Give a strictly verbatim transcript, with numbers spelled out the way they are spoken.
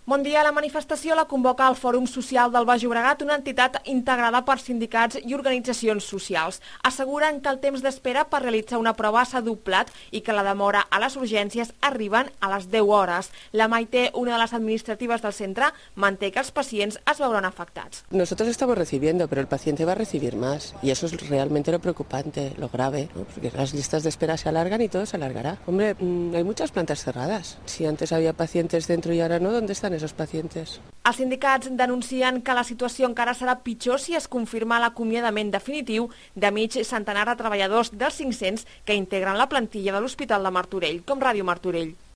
Bon dia. La manifestació la convoca el Fòrum Social del Baix Llobregat, una entitat integrada per sindicats i organitzacions socials. Asseguren que el temps d'espera per realitzar una prova s'ha doblat i que la demora a les urgències arriben a les deu hores. La Maite, una de les administratives del centre, manté que els pacients es veuran afectats. Nosotros estamos recibiendo, pero el paciente va a recibir más. Y eso es realmente lo preocupante, lo grave, ¿no? Porque las listas de espera se alargan y todo se alargará. Hombre, mmm, hay muchas plantas cerradas. Si antes había pacientes dentro y ahora no, ¿dónde están esos pacientes? Els sindicats denuncien que la situació encara serà pitjor si es confirma l'acomiadament definitiu de mig centenar de treballadors dels cinc-cents que integren la plantilla de l'Hospital de Martorell, com Ràdio Martorell.